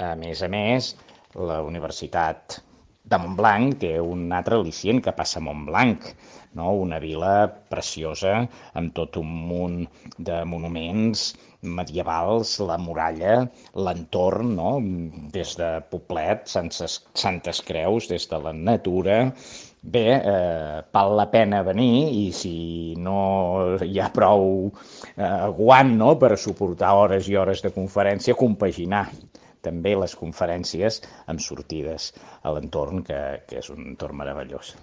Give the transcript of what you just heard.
A més, la Universitat de Montblanc té un altre al·licient que passa a Montblanc, no? Una vila preciosa amb tot un munt de monuments medievals, la muralla, l'entorn, no? Des de Poblet, Santes Creus, des de la natura. Bé, val la pena venir i si no hi ha prou guant, no?, per suportar hores i hores de conferència, compaginar també les conferències amb sortides a l'entorn, que és un entorn meravellós.